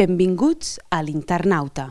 Benvinguts a l'Internauta.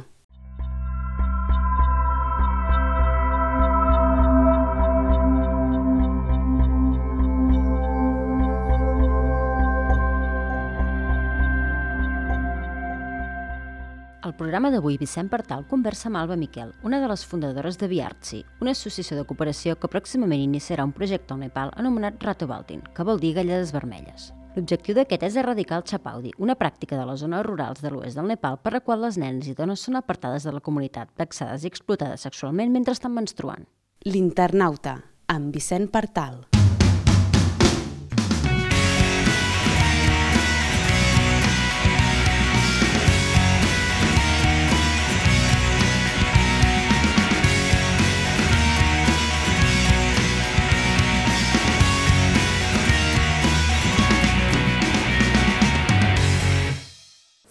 Al programa d'avui, Vicent Partal conversa amb Alba Miquel, una de les fundadores de Viartsi, una associació de cooperació que pròximament iniciarà un projecte al Nepal anomenat Rato Baltin, que vol dir galledes vermelles. L'objectiu d'aquest és erradicar el chapaudi, una pràctica de les zones rurals de l'oest del Nepal per la qual les nenes i dones són apartades de la comunitat, vexades i explotades sexualment mentre estan menstruant. L'Internauta, amb Vicent Partal.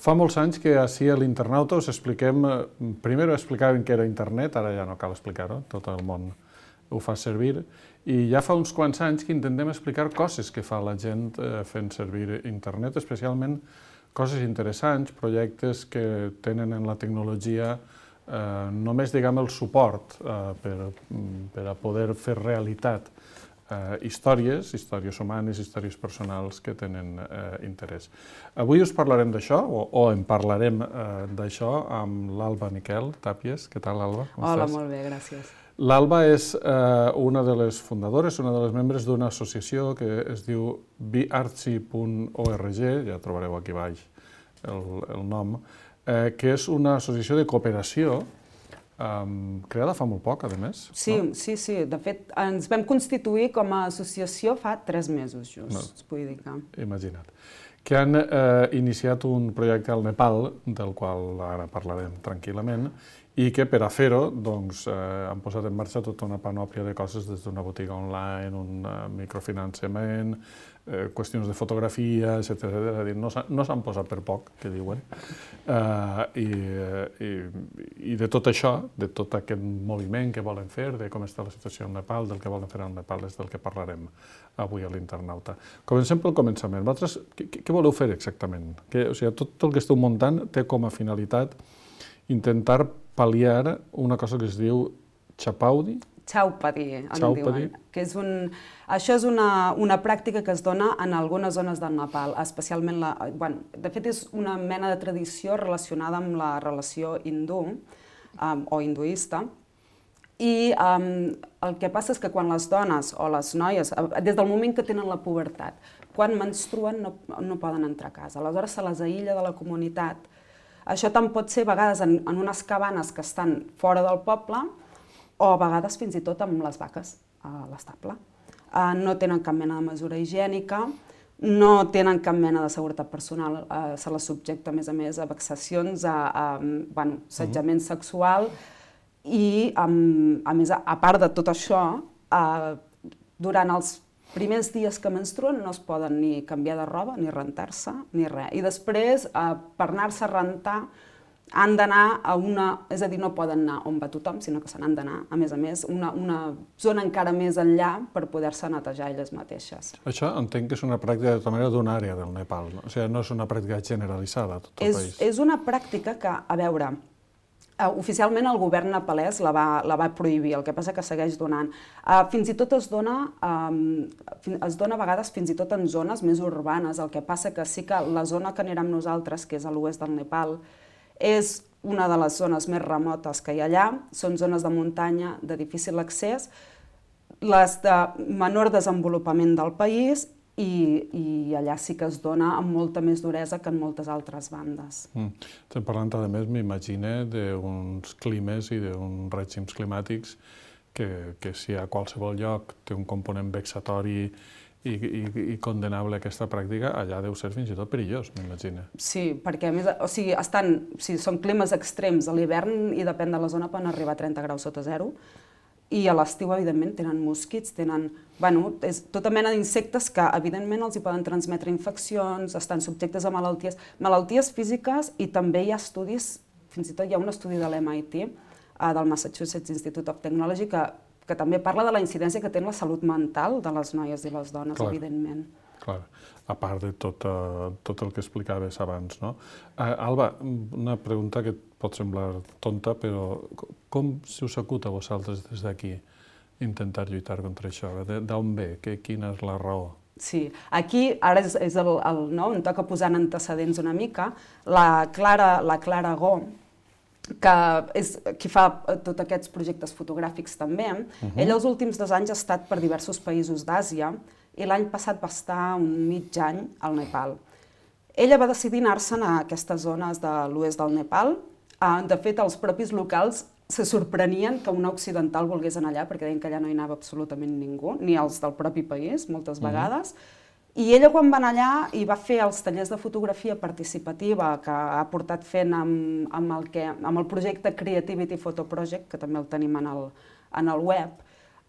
Fa molts anys que així a l'Internauta us expliquem, primer explicàvem què era internet, ara ja no cal explicar-ho, tot el món ho fa servir, i ja fa uns quants anys que intentem explicar coses que fa la gent fent servir internet, especialment coses interessants, projectes que tenen en la tecnologia només, diguem, el suport per a poder fer realitat històries humanes, històries personals que tenen interès. Avui us parlarem d'això, o en parlarem d'això, amb l'Alba Miquel Tàpies. Què tal, Alba? Hola, molt bé, gràcies. L'Alba és una de les fundadores, una de les membres d'una associació que es diu viartsi.org, ja trobareu aquí baix el nom, que és una associació de cooperació creada fa molt poc, a més. Sí. De fet, ens vam constituir com a associació fa 3 mesos, just, vull dir que... Imagina't. Que han iniciat un projecte al Nepal, del qual ara parlarem tranquil·lament, i que per a fer-ho han posat en marxa tota una panòplia de coses, des d'una botiga online, un microfinançament, qüestions de fotografia, etc. És a dir, no s'han posat per poc, que diuen. I de tot això, de tot aquest moviment que volen fer, de com està la situació al Nepal, del que volen fer al Nepal, és del que parlarem avui a l'Internauta. Comencem pel començament. Vosaltres, què voleu fer exactament? Tot el que esteu muntant té com a finalitat intentar pal·liar una cosa que es diu chapaudi. Chaupadi, en diuen. Això és una pràctica que es dona en algunes zones del Nepal, especialment de fet és una mena de tradició relacionada amb la relació hindú o hinduista, i el que passa és que quan les dones o les noies, des del moment que tenen la pubertat, quan menstruen no poden entrar a casa, aleshores se les aïlla de la comunitat. Això tant pot ser a vegades en unes cabanes que estan fora del poble, o a vegades fins i tot amb les vaques a l'estable. No tenen cap mena de mesura higiènica, no tenen cap mena de seguretat personal, se les subjecta a més a vexacions, a assetjament sexual, i a més, a part de tot això, durant els primers dies que menstruen no es poden ni canviar de roba, ni rentar-se, ni res. I després, per anar-se a rentar, han d'anar a és a dir, no poden anar on va tothom, sinó que se n'han d'anar, a més, una zona encara més enllà per poder-se netejar elles mateixes. Això entenc que és una pràctica de tota manera d'una àrea del Nepal, no? O sigui, no és una pràctica generalitzada a tot el país. És una pràctica que, a veure, oficialment el govern nepalès la va prohibir, el que passa que segueix donant. Fins i tot es dona a vegades fins i tot en zones més urbanes, el que passa que sí que la zona que anirem nosaltres, que és a l'oest del Nepal, és una de les zones més remotes que hi ha allà, són zones de muntanya de difícil accés, les de menor desenvolupament del país, i allà sí que es dona amb molta més duresa que en moltes altres bandes. Estem parlant, a més, m'imagine, d'uns climes i d'uns règims climàtics que si a qualsevol lloc té un component vexatori i condenable aquesta pràctica, allà deu ser fins i tot perillós, m'imagine. Sí, perquè a més, són climes extrems a l'hivern i depèn de la zona poden arribar a 30 graus sota zero, i a l'estiu, evidentment, tenen mosquits, és tota mena d'insectes que, evidentment, els hi poden transmetre infeccions, estan subjectes a malalties físiques, i també hi ha estudis, fins i tot hi ha un estudi de l'MIT, del Massachusetts Institute of Technology, que també parla de la incidència que té en la salut mental de les noies i les dones, evidentment. Clar, a part de tot el que explicaves abans, no? Alba, una pregunta que et pot semblar tonta, però com se us acut a vosaltres des d'aquí intentar lluitar contra això? D'on ve? Quina és la raó? Sí, aquí ara és no? Em toca posar en antecedents una mica. La Clara Gó, que és qui fa tots aquests projectes fotogràfics també, ella els últims 2 anys ha estat per diversos països d'Àsia i l'any passat va estar un mig any al Nepal. Ella va decidir anar-se'n a aquestes zones de l'oest del Nepal. De fet, els propis locals se sorprenien que una occidental volgués anar allà, perquè deien que allà no hi anava absolutament ningú, ni els del propi país, moltes vegades. I ella, quan va anar allà, i va fer els tallers de fotografia participativa que ha portat fent amb el projecte Creativity Photo Project, que també el tenim en el web,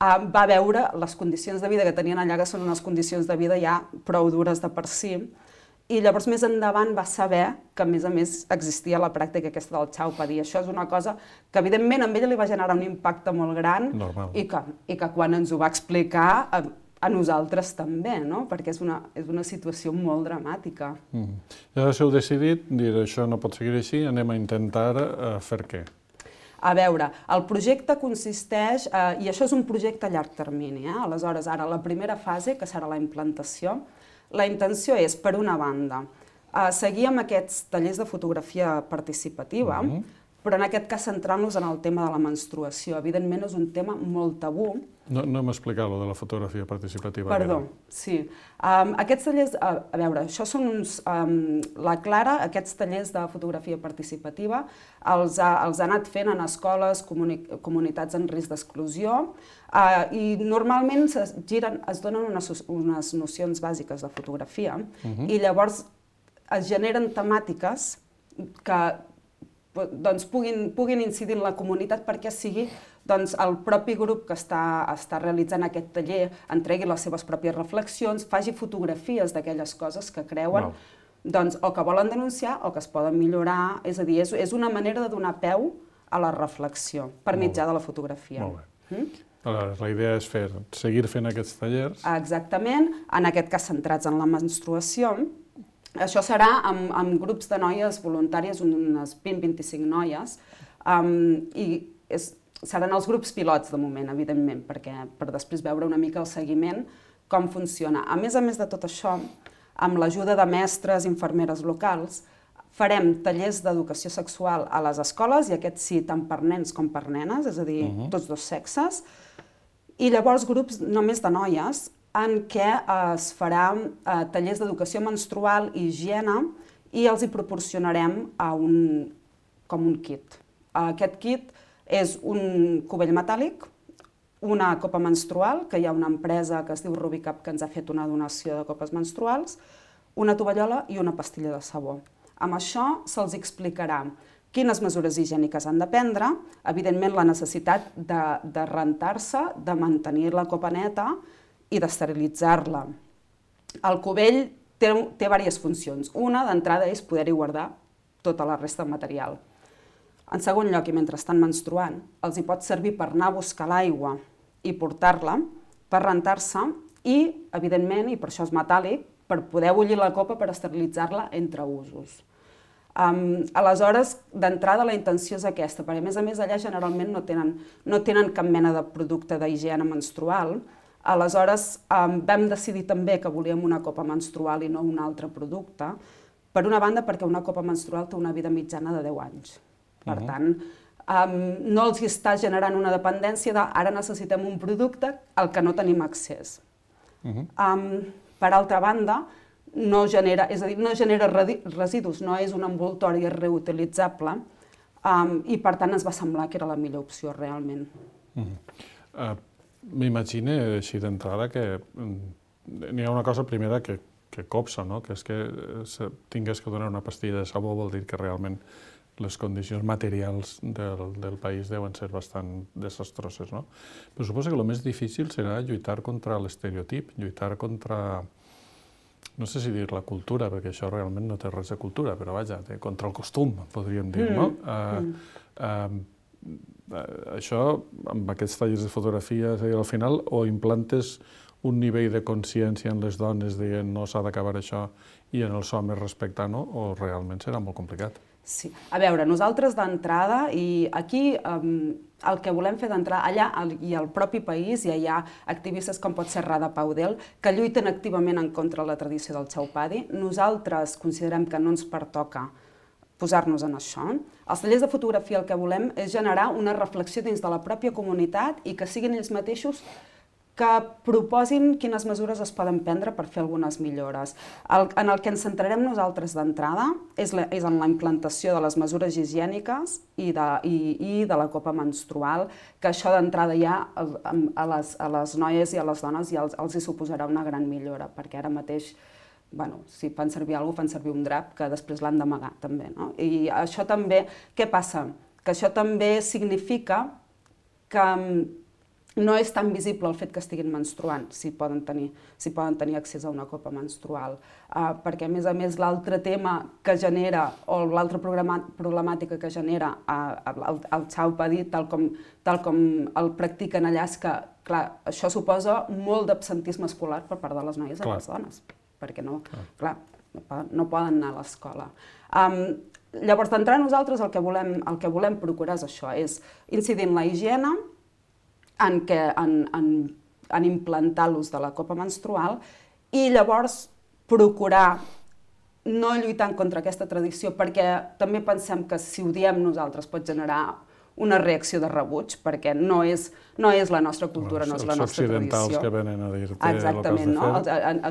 va veure les condicions de vida que tenien allà, que són unes condicions de vida ja prou dures de per si, i llavors més endavant va saber que a més existia la pràctica aquesta del Chaupadi. Això és una cosa que evidentment a ella li va generar un impacte molt gran i que quan ens ho va explicar a nosaltres també, no? Perquè és una situació molt dramàtica. Llavors heu decidit dir això no pot seguir així, anem a intentar fer què? A veure, el projecte consisteix, i això és un projecte a llarg termini, aleshores ara la primera fase, que serà la implantació, la intenció és, per una banda, seguir amb aquests tallers de fotografia participativa, però en aquest cas centrant-nos en el tema de la menstruació. Evidentment és un tema molt tabú. No hem explicat lo de la fotografia participativa. Perdó, sí. Aquests tallers, a veure, això són uns... La Clara, aquests tallers de fotografia participativa els ha anat fent en escoles, comunitats en risc d'exclusió, i normalment es donen unes nocions bàsiques de fotografia i llavors es generen temàtiques que puguin incidir en la comunitat perquè sigui el propi grup que està realitzant aquest taller entregui les seves pròpies reflexions, faci fotografies d'aquelles coses que creuen o que volen denunciar o que es poden millorar. És a dir, és una manera de donar peu a la reflexió per mitjà de la fotografia. Molt bé. Aleshores, la idea és seguir fent aquests tallers. Exactament, en aquest cas centrats en la menstruació. Això serà amb grups de noies voluntàries, unes 20-25 noies, i seran els grups pilots de moment, evidentment, per després veure una mica el seguiment, com funciona. A més de tot això, amb l'ajuda de mestres i infermeres locals, farem tallers d'educació sexual a les escoles, i aquests sí, tant per nens com per nenes, és a dir, tots dos sexes, i llavors grups només de noies, en què es farà tallers d'educació menstrual i higiene i els hi proporcionarem com un kit. Aquest kit és un cubell metàl·lic, una copa menstrual, que hi ha una empresa que es diu Rubicap que ens ha fet una donació de copes menstruals, una tovallola i una pastilla de sabó. Amb això se'ls explicarà quines mesures higièniques han de prendre, evidentment la necessitat de rentar-se, de mantenir la copa neta, i d'esterilitzar-la. El cubell té diverses funcions. Una, d'entrada, és poder-hi guardar tota la resta de material. En segon lloc, i mentre estan menstruant, els hi pot servir per anar a buscar l'aigua i portar-la, per rentar-se i, evidentment, i per això és metàl·lic, per poder bullir la copa per esterilitzar-la entre usos. Aleshores, d'entrada, la intenció és aquesta, perquè a més allà generalment no tenen cap mena de producte d'higiene menstrual. Aleshores, vam decidir també que volíem una copa menstrual i no un altre producte, per una banda perquè una copa menstrual té una vida mitjana de 10 anys. Per tant, no els està generant una dependència de ara necessitem un producte al que no tenim accés. Per altra banda, no genera residus, no és un envoltori reutilitzable i per tant ens va semblar que era la millor opció realment. M'imagino així d'entrada que n'hi ha una cosa primera que copsa, que és que tingués que donar una pastilla de sabó vol dir que realment les condicions materials del país deuen ser bastant desastroses. Però suposo que el més difícil serà lluitar contra l'estereotip, lluitar contra, no sé si dir la cultura, perquè això realment no té res de cultura, però vaja, contra el costum, podríem dir, no? Això, amb aquests tallers de fotografia, al final, o implantes un nivell de consciència en les dones dient no s'ha d'acabar això i en els homes respectant-ho, o realment serà molt complicat? Sí. A veure, nosaltres d'entrada, i aquí el que volem fer d'entrada, allà i al propi país ja hi ha activistes com pot ser Rada Paudel, que lluiten activament en contra de la tradició del Chhaupadi. Nosaltres considerem que no ens pertoca posar-nos en això. Els tallers de fotografia el que volem és generar una reflexió dins de la pròpia comunitat i que siguin ells mateixos que proposin quines mesures es poden prendre per fer algunes millores. En el que ens centrarem nosaltres d'entrada és en la implantació de les mesures higièniques i de la copa menstrual, que això d'entrada ja a les noies i a les dones ja els hi suposarà una gran millora, perquè ara mateix si fan servir alguna cosa, fan servir un drap que després l'han d'amagar també. I això també, què passa? Que això també significa que no és tan visible el fet que estiguin menstruant, si poden tenir accés a una copa menstrual. Perquè, a més, l'altre tema que genera, o l'altra problemàtica que genera el Chhaupadi, tal com el practiquen allà, és que, clar, això suposa molt d'absentisme escolar per part de les noies i les dones, perquè no poden anar a l'escola. Llavors, d'entrada nosaltres el que volem procurar és això, és incidir en la higiene, en implantar l'ús de la copa menstrual i llavors procurar no lluitar contra aquesta tradició, perquè també pensem que si ho diem nosaltres pot generar una reacció de rebuig, perquè no és la nostra cultura, no és la nostra tradició. Els occidentals que venen a dir-te el que has de fer. Exactament,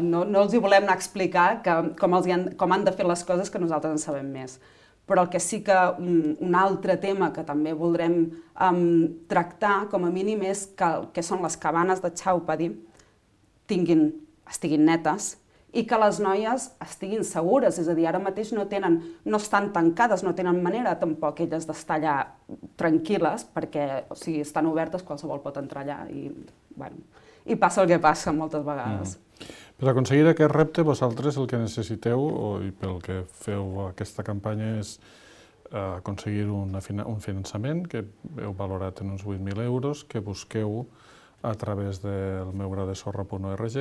no els hi volem anar a explicar com han de fer les coses que nosaltres en sabem més. Però el que sí que un altre tema que també voldrem tractar, com a mínim, és que són les cabanes de Chhaupadi estiguin netes i que les noies estiguin segures, és a dir, ara mateix no estan tancades, no tenen manera tampoc elles d'estar allà tranquil·les, perquè estan obertes, qualsevol pot entrar allà i passa el que passa moltes vegades. Per aconseguir aquest repte, vosaltres el que necessiteu, i pel que feu aquesta campanya, és aconseguir un finançament que heu valorat en uns 8.000 euros, que busqueu a través del meugradesorra.org,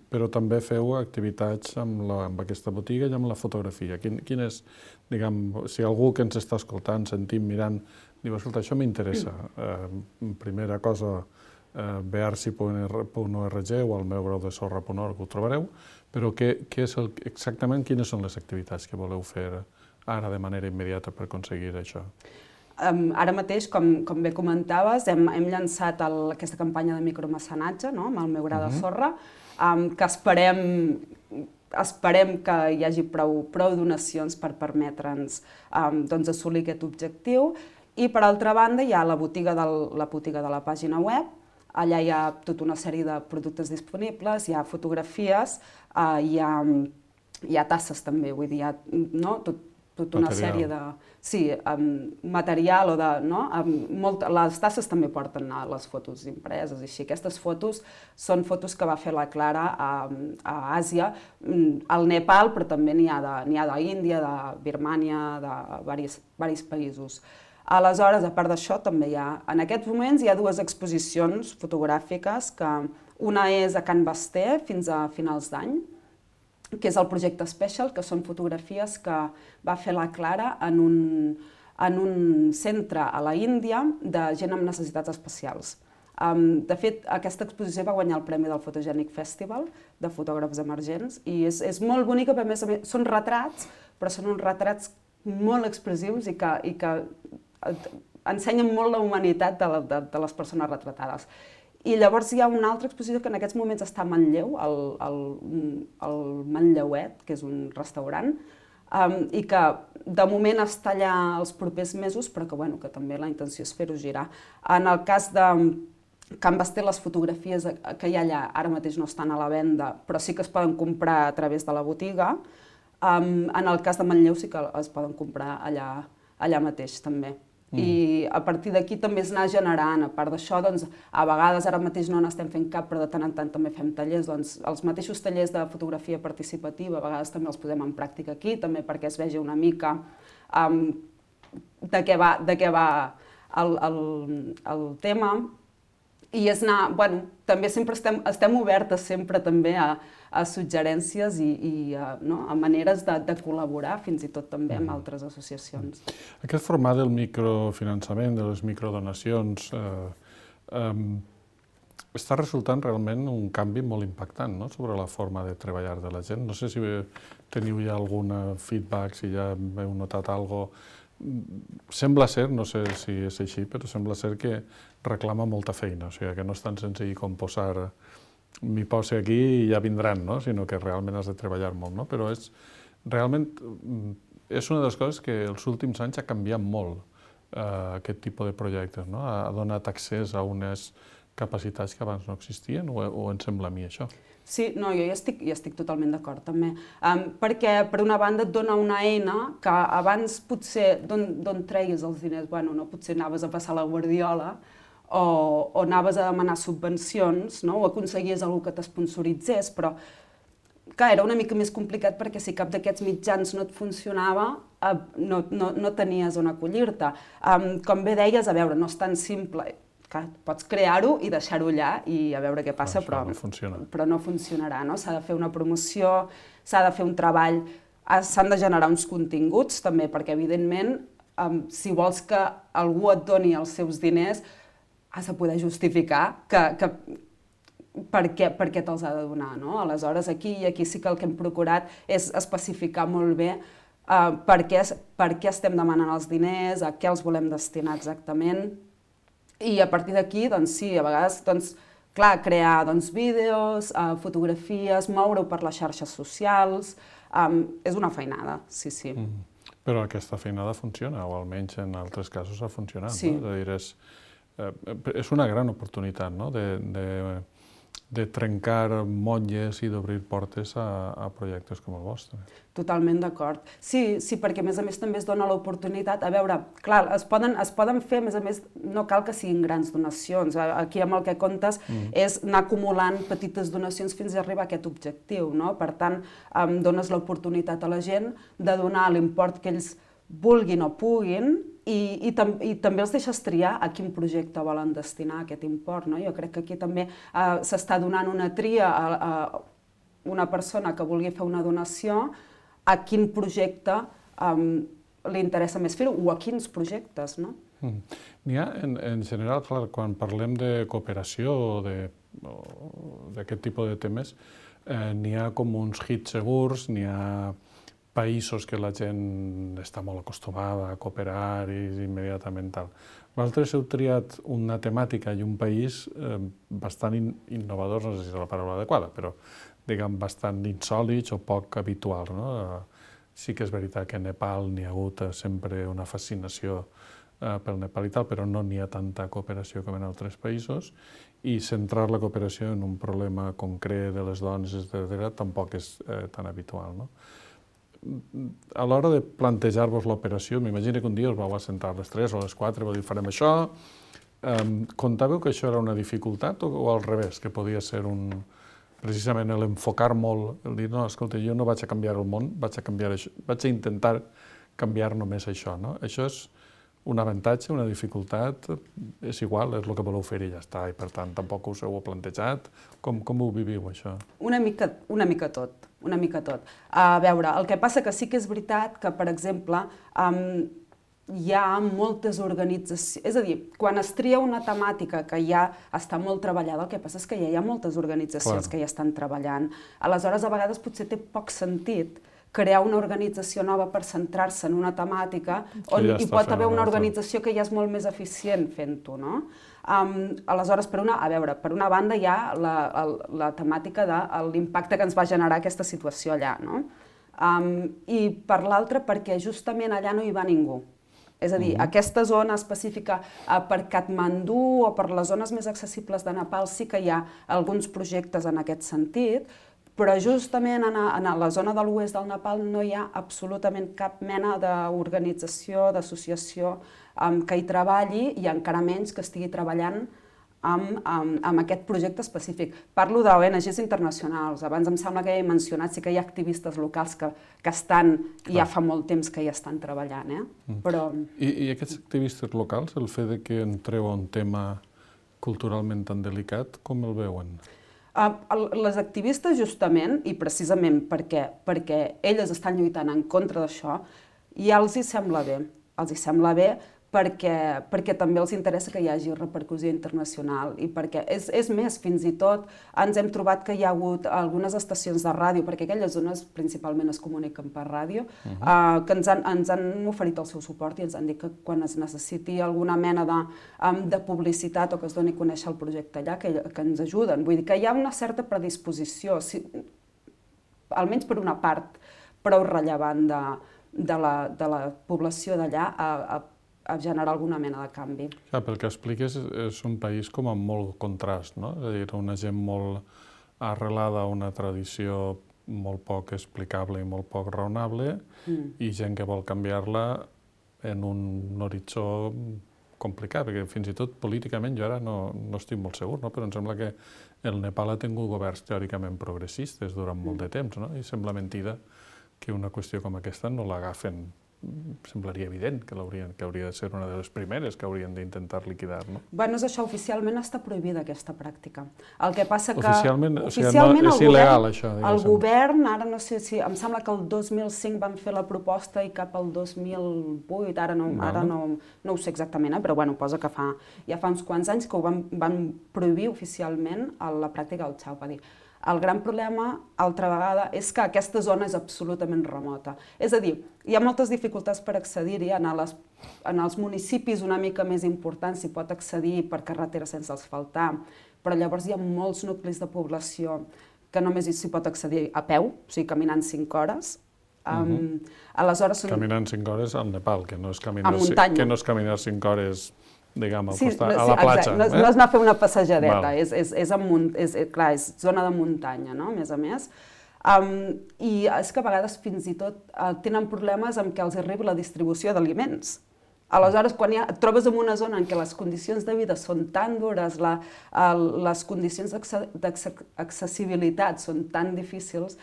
però també feu activitats amb aquesta botiga i amb la fotografia. Quin és, si algú que ens està escoltant, sentint, mirant, diu, escolta, això m'interessa. Primera cosa, bearsi.org o al meugradesorra.org ho trobareu, però exactament quines són les activitats que voleu fer ara de manera immediata per aconseguir això? Ara mateix, com bé comentaves, hem llançat aquesta campanya de micromecenatge amb el Meu Gra de Sorra, que esperem que hi hagi prou donacions per permetre'ns assolir aquest objectiu. I, per altra banda, hi ha la botiga de la pàgina web. Allà hi ha tota una sèrie de productes disponibles, hi ha fotografies, hi ha tasses també, vull dir, hi ha tota una sèrie de material, les tasses també porten les fotos impreses i així. Aquestes fotos són fotos que va fer la Clara a Àsia, al Nepal, però també n'hi ha d'Índia, de Birmània, de diversos països. Aleshores, a part d'això, també en aquests moments hi ha dues exposicions fotogràfiques, que una és a Can Basté fins a finals d'any, que és el projecte Special, que són fotografies que va fer la Clara en un centre a la Índia de gent amb necessitats especials. De fet, aquesta exposició va guanyar el premi del Photogenic Festival de fotògrafs emergents i és molt bonica, perquè a més són retrats, però són uns retrats molt expressius i que ensenyen molt la humanitat de les persones retratades. I llavors hi ha una altra exposició que en aquests moments està a Manlleu, al Manlleuet, que és un restaurant, i que de moment està allà els propers mesos, però que també la intenció és fer-ho girar. En el cas de Can Basté, les fotografies que hi ha allà ara mateix no estan a la venda, però sí que es poden comprar a través de la botiga. En el cas de Manlleu sí que es poden comprar allà mateix també. I a partir d'aquí també es anar generant. A part d'això, a vegades ara mateix no n'estem fent cap, però de tant en tant també fem tallers. Els mateixos tallers de fotografia participativa a vegades també els posem en pràctica aquí, també perquè es vegi una mica de què va el tema. I és anar, bueno, també sempre estem obertes sempre també a suggerències i a maneres de col·laborar, fins i tot també amb altres associacions. Aquest format del microfinançament, de les microdonacions, està resultant realment un canvi molt impactant, no?, sobre la forma de treballar de la gent. No sé si teniu ja algun feedback, si ja heu notat alguna cosa. Sembla ser, no sé si és així, però sembla ser que reclama molta feina, o sigui que no és tan senzill com posar m'hi posi aquí i ja vindran, no?, sinó que realment has de treballar molt, no? Però realment és una de les coses que els últims anys ha canviat molt aquest tipus de projectes, no? Ha donat accés a unes capacitats que abans no existien, o em sembla a mi això? Sí, no, jo hi estic totalment d'acord també, perquè per una banda et dona una eina que abans potser d'on treguis els diners, bueno, no, potser anaves a passar la guardiola o anaves a demanar subvencions, no?, o aconseguies algú que t'esponsoritzés, però clar, era una mica més complicat perquè si cap d'aquests mitjans no et funcionava, no tenies on acollir-te. Com bé deies, a veure, no és tan simple. Clar, pots crear-ho i deixar-ho allà i a veure què passa, però no funcionarà, no? S'ha de fer una promoció, s'ha de fer un treball, s'han de generar uns continguts també, perquè evidentment, si vols que algú et doni els seus diners, has de poder justificar per què te'ls ha de donar, no? Aleshores, aquí sí que el que hem procurat és especificar molt bé per què estem demanant els diners, a què els volem destinar exactament. I a partir d'aquí, doncs sí, a vegades, clar, crear vídeos, fotografies, moure-ho per les xarxes socials, és una feinada, sí. Però aquesta feinada funciona, o almenys en altres casos ha funcionat, no? És a dir, és una gran oportunitat, no?, de trencar motlles i d'obrir portes a projectes com el vostre. Totalment d'acord. Sí, perquè a més també es dona l'oportunitat, a veure, clar, es poden fer, a més, no cal que siguin grans donacions, aquí amb el que comptes és anar acumulant petites donacions fins a arribar a aquest objectiu, no? Per tant, dones l'oportunitat a la gent de donar l'import que ells vulguin o puguin i també els deixes triar a quin projecte volen destinar aquest import, no? Jo crec que aquí també s'està donant una tria a una persona que vulgui fer una donació a quin projecte li interessa més fer-ho o a quins projectes, no? N'hi ha, en general, clar, quan parlem de cooperació o d'aquest tipus de temes, n'hi ha com uns hits segurs, n'hi ha països que la gent està molt acostumada a cooperar i immediatament tal. Vosaltres heu triat una temàtica i un país bastant innovadors, no sé si és la paraula adequada, però diguem bastant insòlits o poc habituals, no? Sí que és veritat que a Nepal n'hi ha hagut sempre una fascinació pel Nepal i tal, però no n'hi ha tanta cooperació com en altres països, i centrar la cooperació en un problema concret de les dones, etc., tampoc és tan habitual, no? A l'hora de plantejar-vos l'operació, m'imagino que un dia us vau assentar a les 3 o a les 4 i vau dir farem això. Comptàveu que això era una dificultat o al revés, que podia ser precisament l'enfocar molt, el dir, no, escolta, jo no vaig a canviar el món, vaig a intentar canviar només això, no? Això és un avantatge, una dificultat, és igual, és el que voleu fer i ja està, i per tant tampoc us ho heu plantejat. Com ho viviu, això? Una mica tot. A veure, el que passa que sí que és veritat que, per exemple, hi ha moltes organitzacions, és a dir, quan es tria una temàtica que ja està molt treballada, el que passa és que ja hi ha moltes organitzacions que ja estan treballant. Aleshores, a vegades potser té poc sentit crear una organització nova per centrar-se en una temàtica on hi pot haver una organització que ja és molt més eficient fent-ho, no? Aleshores, per una banda hi ha la temàtica de l'impacte que ens va generar aquesta situació allà, no? I per l'altra, perquè justament allà no hi va ningú. És a dir, aquesta zona específica per Katmandú o per les zones més accessibles de Nepal sí que hi ha alguns projectes en aquest sentit, però justament en la zona de l'oest del Nepal no hi ha absolutament cap mena d'organització, d'associació que hi treballi i encara menys que estigui treballant amb aquest projecte específic. Parlo d'ONGs internacionals. Abans em sembla que ja he mencionat, sí que hi ha activistes locals que estan, ja fa molt temps que hi estan treballant. I aquests activistes locals, el fet que entreu a un tema culturalment tan delicat, com el veuen? Les activistes, justament, i precisament perquè elles estan lluitant en contra d'això, ja els hi sembla bé. Els hi sembla bé perquè també els interessa que hi hagi repercussió internacional i perquè, és més, fins i tot ens hem trobat que hi ha hagut algunes estacions de ràdio, perquè aquelles zones principalment es comuniquen per ràdio, que ens han oferit el seu suport i ens han dit que quan es necessiti alguna mena de publicitat o que es doni a conèixer el projecte allà, que ens ajuden. Vull dir que hi ha una certa predisposició, almenys per una part prou rellevant de la població d'allà a generar alguna mena de canvi. Pel que expliques, és un país com amb molt contrast, no? És a dir, una gent molt arrelada a una tradició molt poc explicable i molt poc raonable i gent que vol canviar-la en un horitzó complicat, perquè fins i tot políticament jo ara no estic molt segur, però em sembla que el Nepal ha tingut governs teòricament progressistes durant molt de temps, i sembla mentida que una qüestió com aquesta no l'agafen. Semblaria evident que hauria de ser una de les primeres que haurien d'intentar liquidar, no? Bueno, és això, oficialment està prohibida aquesta pràctica. El que passa que... Oficialment és il·legal, això, diguéssim. El govern, ara no sé si... Em sembla que el 2005 van fer la proposta i cap al 2008, ara no ho sé exactament, però bueno, posa que ja fa uns quants anys que ho van prohibir oficialment la pràctica del Chhaupadi. El gran problema, altra vegada, és que aquesta zona és absolutament remota. És a dir, hi ha moltes dificultats per accedir-hi. En els municipis una mica més importants s'hi pot accedir per carretera sense asfaltar, però llavors hi ha molts nuclis de població que només s'hi pot accedir a peu, o sigui, caminant 5 hores. Caminant 5 hores al Nepal, que no és caminar 5 hores... diguem, a la platja. No és anar a fer una passejadeta, és zona de muntanya, a més. I és que a vegades fins i tot tenen problemes amb què els arribi la distribució d'aliments. Aleshores, quan et trobes en una zona en què les condicions de vida són tan dures, les condicions d'accessibilitat són tan difícils,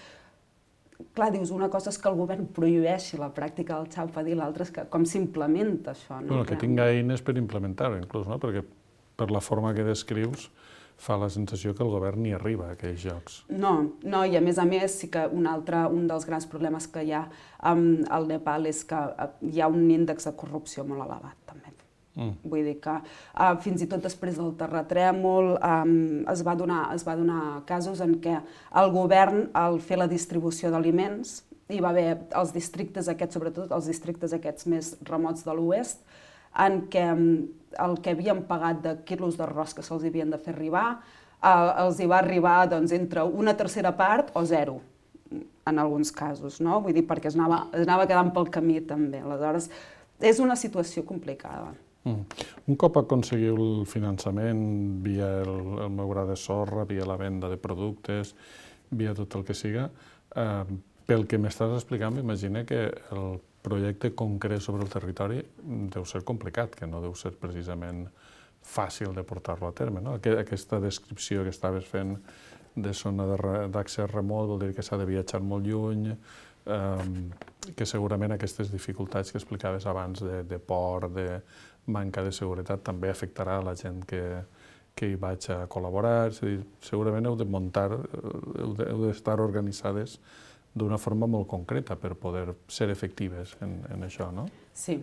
clar, dius, una cosa és que el govern prohibeixi la pràctica del Chhaupadi i l'altra és que com s'implementa això. Que tinga eines per implementar-ho, inclús, perquè per la forma que descrius fa la sensació que el govern ni arriba a aquells llocs. No, i a més sí que un dels grans problemes que hi ha al Nepal és que hi ha un índex de corrupció molt elevat, també. Vull dir que fins i tot després del terratrèmol es va donar casos en què el govern, al fer la distribució d'aliments, hi va haver els districtes aquests, sobretot els districtes aquests més remots de l'oest, en què el que havien pagat de quilos d'arròs que se'ls havien de fer arribar, els hi va arribar entre una tercera part o 0, en alguns casos, no? Vull dir, perquè es anava quedant pel camí també. Aleshores, és una situació complicada. Un cop aconseguiu el finançament via el meu gra de sorra, via la venda de productes, via tot el que siga, pel que m'estàs explicant, m'imagino que el projecte concret sobre el territori deu ser complicat, que no deu ser precisament fàcil de portar-lo a terme. Aquesta descripció que estaves fent de zona d'accés remot vol dir que s'ha de viatjar molt lluny, que segurament aquestes dificultats que explicaves abans de port, de manca de seguretat, també afectarà a la gent que hi vaig a col·laborar. És a dir, segurament heu d'estar organitzades d'una forma molt concreta per poder ser efectives en això, no? Sí.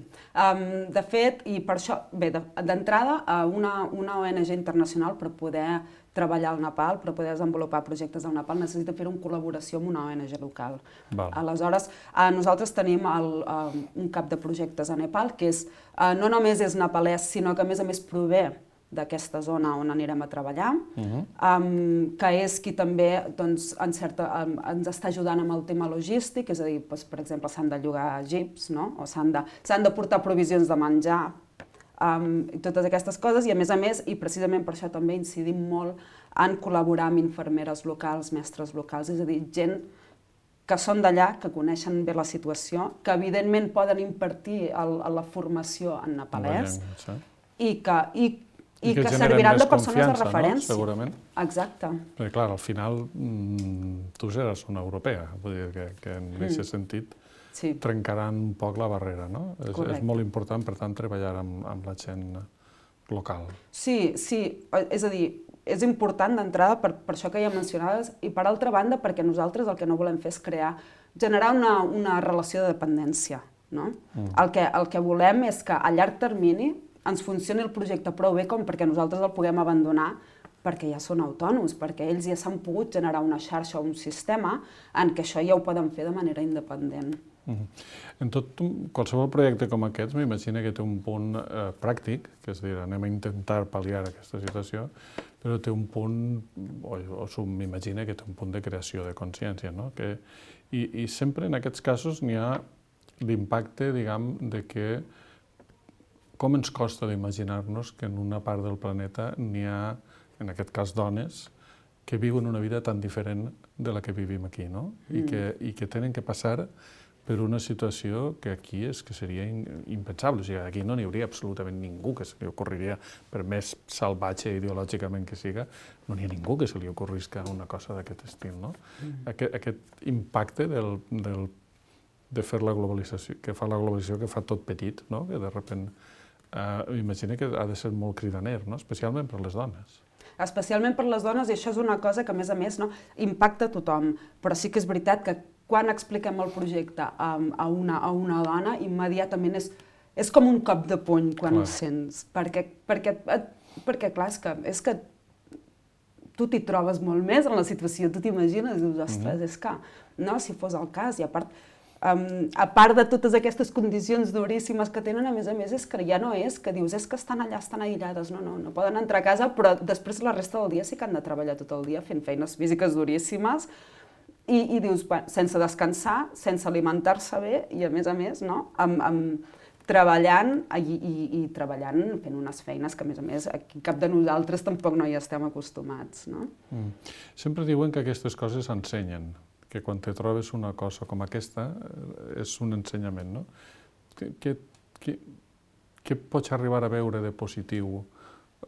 De fet, i per això, bé, d'entrada, una ONG internacional per poder treballar al Nepal, per poder desenvolupar projectes al Nepal, necessita fer-ho en col·laboració amb una ONG local. Aleshores, nosaltres tenim un cap de projectes a Nepal que no només és nepalès, sinó que a més prové d'aquesta zona on anirem a treballar, que és qui també ens està ajudant amb el tema logístic, és a dir, per exemple, s'han de llogar jeeps, o s'han de portar provisions de menjar, i totes aquestes coses, i a més, i precisament per això també incidim molt en col·laborar amb infermeres locals, mestres locals, és a dir, gent que són d'allà, que coneixen bé la situació, que evidentment poden impartir la formació en nepalès, i que serviran de persones de referència. Segurament. Exacte. Perquè, clar, al final tu seràs una europea, vull dir que en aquest sentit trencaran un poc la barrera, no? És molt important, per tant, treballar amb la gent local. Sí, és a dir, és important d'entrada per això que ja mencionaves i per altra banda perquè nosaltres el que no volem fer és generar una relació de dependència. No? El que volem és que a llarg termini ens funcioni el projecte prou bé com perquè nosaltres el puguem abandonar perquè ja són autònoms, perquè ells ja s'han pogut generar una xarxa o un sistema en què això ja ho poden fer de manera independent. En qualsevol projecte com aquest m'imagino que té un punt pràctic, que és a dir, anem a intentar pal·liar aquesta situació, però té un punt, o m'imagino que té un punt de creació de consciència, no? I sempre en aquests casos n'hi ha l'impacte, diguem, de que com ens costa d'imaginar-nos que en una part del planeta n'hi ha, en aquest cas dones, que viuen una vida tan diferent de la que vivim aquí, no? I que tenen que passar per una situació que aquí seria impensable. O sigui, aquí no n'hi hauria absolutament ningú que se li ocorriria, per més salvatge ideològicament que siga, no n'hi ha ningú que se li ocorrisca una cosa d'aquest estil, no? Aquest impacte de fer la globalització, que fa la globalització, que fa tot petit, no? Que de sobte m'imagino que ha de ser molt cridaner, no? Especialment per les dones. Especialment per les dones, i això és una cosa que, a més, impacta a tothom. Però sí que és veritat que quan expliquem el projecte a una dona, immediatament és com un cop de puny quan ho sents. Perquè clar, és que tu t'hi trobes molt més en la situació, tu t'imagines, dius, ostres, és que, no, si fos el cas, i a part de totes aquestes condicions duríssimes que tenen, a més, és que ja no és que dius, és que estan allà, estan aïllades, no poden entrar a casa, però després la resta del dia sí que han de treballar tot el dia fent feines físiques duríssimes i dius, sense descansar, sense alimentar-se bé i, a més, no? Treballant i treballant fent unes feines que, a més, aquí cap de nosaltres tampoc no hi estem acostumats, no? Sempre diuen que aquestes coses s'ensenyen, que quan te trobes una cosa com aquesta és un ensenyament, no? Què pots arribar a veure de positiu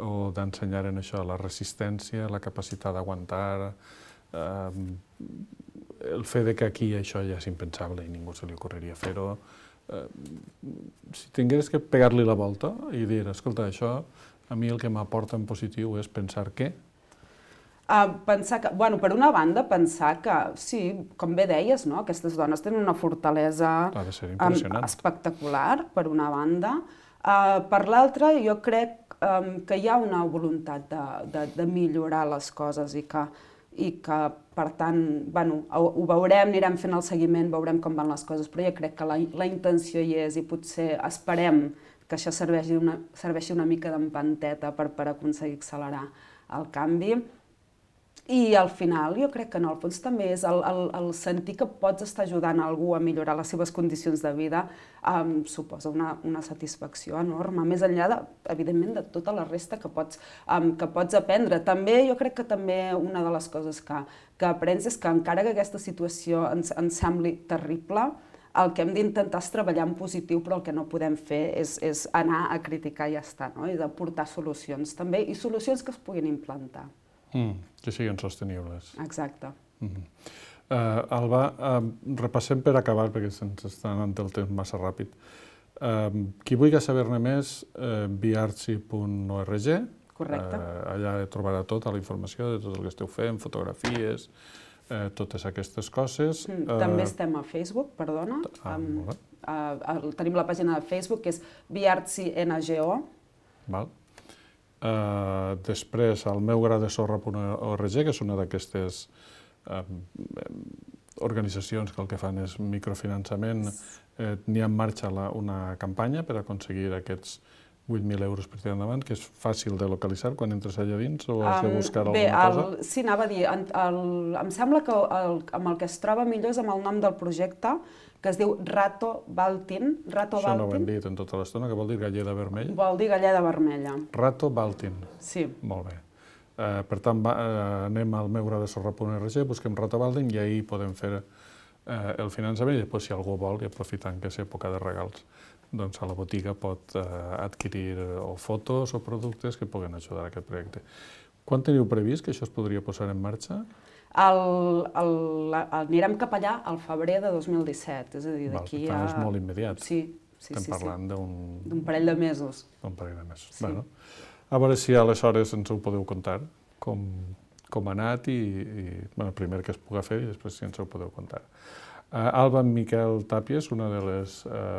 o d'ensenyar en això? La resistència, la capacitat d'aguantar, el fet que aquí això ja és impensable i ningú se li ocorreria fer-ho. Si tingués que pegar-li la volta i dir, escolta, això a mi el que m'aporta en positiu és pensar què? Pensar que, per una banda, pensar que, sí, com bé deies, no? Aquestes dones tenen una fortalesa espectacular, per una banda. Per l'altra, jo crec que hi ha una voluntat de millorar les coses i que, per tant, ho veurem, anirem fent el seguiment, veurem com van les coses, però jo crec que la intenció hi és i potser esperem que això serveixi una mica d'empanteta per aconseguir accelerar el canvi. I al final jo crec que en el fons també és el sentir que pots estar ajudant algú a millorar les seves condicions de vida suposa una satisfacció enorme, més enllà, evidentment, de tota la resta que pots aprendre. També jo crec que també una de les coses que aprens és que encara que aquesta situació ens sembli terrible, el que hem d'intentar és treballar en positiu, però el que no podem fer és anar a criticar i ja està, no? I d'aportar solucions també, i solucions que es puguin implantar. Que siguin sostenibles. Exacte. Alba, repassem per acabar, perquè se'ns està anant el temps massa ràpid. Qui vulgui saber-ne més, biartsi.org. Correcte. Allà trobarà tota la informació de tot el que esteu fent, fotografies, totes aquestes coses. També estem a Facebook, perdona. Tenim la pàgina de Facebook, que és biartsi.ngo. Val. Després, al meugradesorra.org, que és una d'aquestes organitzacions que el que fan és microfinançament, n'hi ha en marxa una campanya per aconseguir aquests 8.000 euros per tirar endavant, que és fàcil de localitzar quan entres allà dins o has de buscar alguna cosa? Sí, anava a dir, em sembla que amb el que es troba millor és amb el nom del projecte, que es diu Rato Baltin. Això no ho hem dit en tota l'estona, que vol dir galleda vermella? Vol dir galleda vermella. Rato Baltin. Sí. Molt bé. Per tant, anem al meugradesorra.org, busquem Rato Baltin i ahir podem fer el finançament i després, si algú vol, i aprofitant que és època de regals, doncs a la botiga pot adquirir o fotos o productes que puguen ajudar a aquest projecte. Quan teniu previst que això es podria posar en marxa? Anirem cap allà al febrer de 2017, és a dir, d'aquí a... Per tant, és molt immediat. Sí, Estem parlant d'un parell de mesos. D'un parell de mesos. Bueno, a veure si aleshores ens ho podeu contar, com ha anat i primer que es pugui fer i després si ens ho podeu contar. Alba Miquel Tàpies, una de les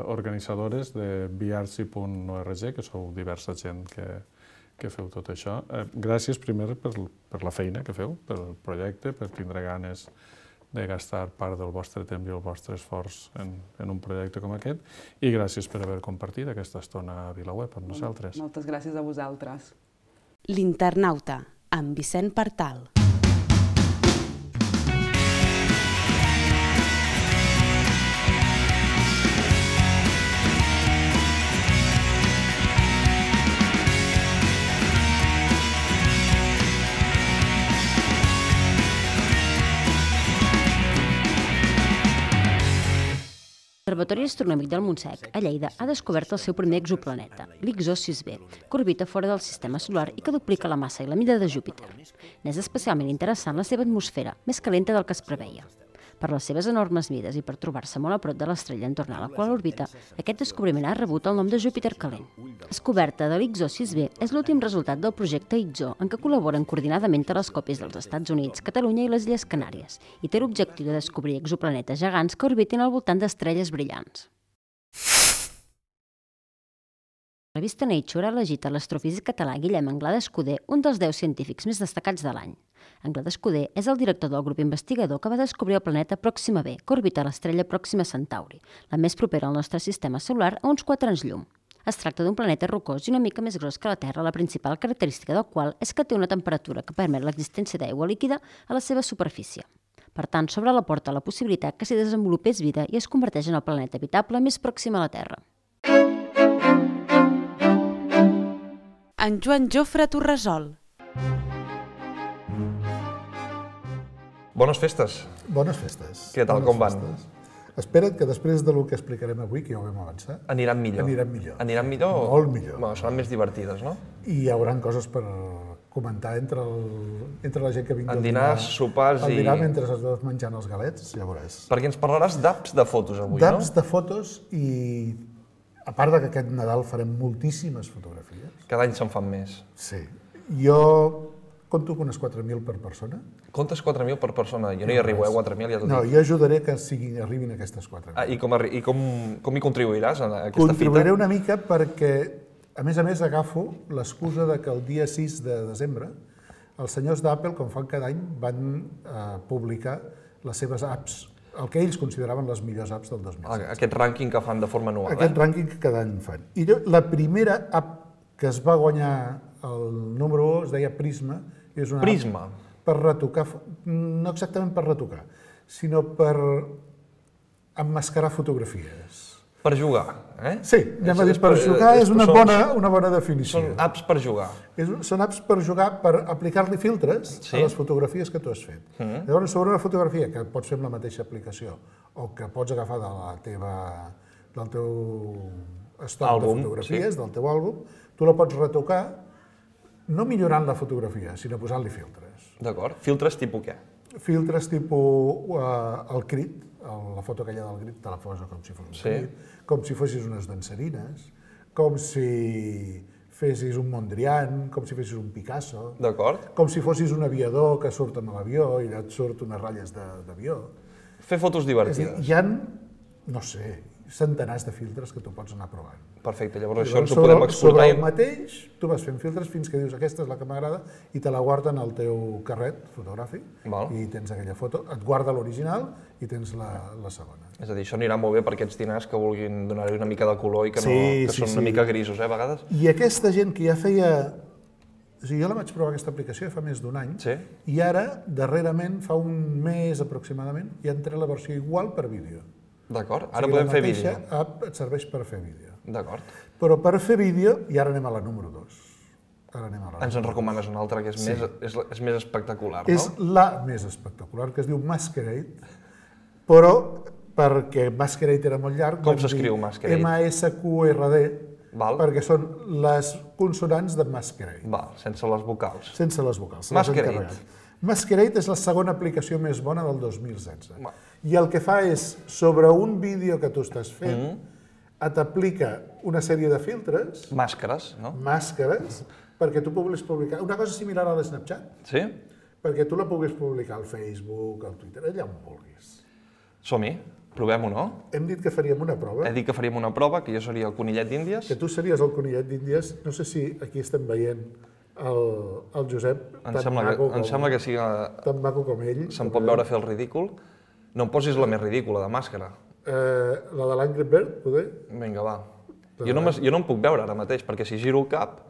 organitzadores de biartsi.org, que sou diversa gent que feu tot això. Gràcies primer per la feina que feu, pel projecte, per tindre ganes de gastar part del vostre temps i el vostre esforç en un projecte com aquest, i gràcies per haver compartit aquesta estona a VilaWeb amb nosaltres. Moltes gràcies a vosaltres. L'Internauta, amb Vicent Partal. L'Observatori Astronòmic del Montsec, a Lleida, ha descobert el seu primer exoplaneta, l'Ixó 6b, que orbita fora del sistema solar i que duplica la massa i la mida de Júpiter. N'és especialment interessant la seva atmosfera, més calenta del que es preveia. Per les seves enormes mides i per trobar-se molt a prop de l'estrella entorn a la qual orbita, aquest descobriment ha rebut el nom de Júpiter calent. La descoberta de l'Ixó 6b és l'últim resultat del projecte IXO, en què col·laboren coordinadament telescopis dels Estats Units, Catalunya i les Illes Canàries, i té l'objectiu de descobrir exoplanetes gegants que orbitin al voltant d'estrelles brillants. La revista Nature ha elegit a l'astrofísic català Guillem Anglada Escudé un dels 10 científics més destacats de l'any. Anglada Escudé és el director del grup investigador que va descobrir el planeta Pròxima b, que orbita l'estrella Pròxima Centauri, la més propera al nostre sistema solar a uns 4 anys llum. Es tracta d'un planeta rocós i una mica més gros que la Terra, la principal característica del qual és que té una temperatura que permet l'existència d'aigua líquida a la seva superfície. Per tant, s'obre la porta a la possibilitat que s'hi desenvolupés vida i es converteix en el planeta habitable més pròxim a la Terra. En Joan Jofre Torresol. Bones festes. Bones festes. Què tal, com van? Espera't que després del que explicarem avui, que ja ho vam avançar, Aniran millor. Aniran millor? Molt millor. Bueno, seran més divertides, no? I hi haurà coses per comentar entre la gent que vingui en dinars, sopars al dinar mentre es vas menjant els galets, ja veuràs. Perquè ens parlaràs d'apps de fotos avui, no? D'apps de fotos i, a part que aquest Nadal farem moltíssimes fotografies. Cada any se'n fan més. Sí. Jo compto unes 4.000 per persona. Comptes 4.000 per persona? Jo no hi arribo, 4.000 ja t'ho dic. No, jo ajudaré que arribin aquestes 4.000. I com hi contribuiràs a aquesta fita? Contribuiré una mica perquè, a més, agafo l'excusa que el dia 6 de desembre els senyors d'Apple, com fan cada any, van publicar les seves apps, el que ells consideraven les millors apps del 2016. Aquest rànquing que fan de forma anual, Aquest rànquing que cada any fan. I la primera app que es va guanyar el número 1 es deia Prisma. És una Prisma? Per retocar, no exactament per retocar, sinó per emmascarar fotografies. Per jugar, eh? Sí, anem a dir per jugar, és una bona definició. Són apps per jugar. Són apps per jugar, per aplicar-li filtres a les fotografies que tu has fet. Llavors, sobre una fotografia que pots fer amb la mateixa aplicació o que pots agafar del teu estoc de fotografies, del teu àlbum, tu la pots retocar no millorant la fotografia, sinó posant-li filtres. D'acord. Filtres tipus què? Filtres tipus el crit, la foto aquella del crit te la posa com si fos un crit, com si fossis unes dansarines, com si fessis un Mondrian, com si fessis un Picasso, com si fossis un aviador que surt amb l'avió i allà et surt unes ratlles d'avió. Fer fotos divertides. Hi ha, no sé, centenars de filtres que tu pots anar provant. Perfecte, llavors això ens ho podem exportar. Sobre el mateix, tu vas fent filtres fins que dius aquesta és la que m'agrada i te la guarden al teu carret fotogràfic i tens aquella foto, et guarda l'original i tens la segona. És a dir, això anirà molt bé per aquests dinars que vulguin donar-hi una mica de color i que són una mica grisos, a vegades. I aquesta gent que ja feia... O sigui, jo la vaig provar aquesta aplicació fa més d'un any i ara, darrerament, fa un mes aproximadament, ja han tret la versió igual per vídeo. D'acord, ara podem fer vídeo. La mateixa app et serveix per fer vídeo. D'acord. Però per fer vídeo, i ara anem a la número 2. Ens en recomanes una altra que és més espectacular, no? És la més espectacular, que es diu Masquerade, però perquè Masquerade era molt llarg... Com s'escriu Masquerade? M-A-S-Q-R-D, perquè són les consonants de Masquerade. Sense les vocals. Sense les vocals. Masquerade. Masquerade és la segona aplicació més bona del 2016. I el que fa és, sobre un vídeo que tu estàs fent, t'aplica una sèrie de filtres... Màscares, no? Màscares, perquè tu puguis publicar... Una cosa similar a l'Snapchat. Sí? Perquè tu la puguis publicar al Facebook, al Twitter, allà on vulguis. Som-hi, provem-ho, no? Hem dit que faríem una prova. He dit que faríem una prova, que jo seria el conillet d'Índies. Que tu series el conillet d'Índies. No sé si aquí estem veient el Josep, Em sembla que sigui... tan maco com ell. Se'm pot veure fer el ridícul. No em posis la més ridícula, de màscara. La de l'Angry Bird, poder? Vinga, va. Jo no em puc veure ara mateix, perquè si giro el cap,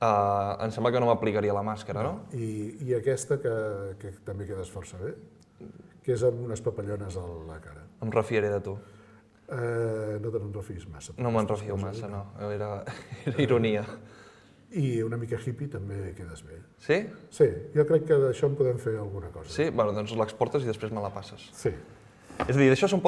em sembla que no m'aplicaria la màscara, no? I aquesta, que també quedes força bé, que és amb unes papallones a la cara. Em refiaré de tu. No te'n refiïs massa. No me'n refio massa, no. Era ironia. I una mica hippie també quedes bé. Sí? Sí, jo crec que d'això en podem fer alguna cosa. Sí? Bueno, doncs l'exportes i després me la passes. Sí. És a dir, d'això se'n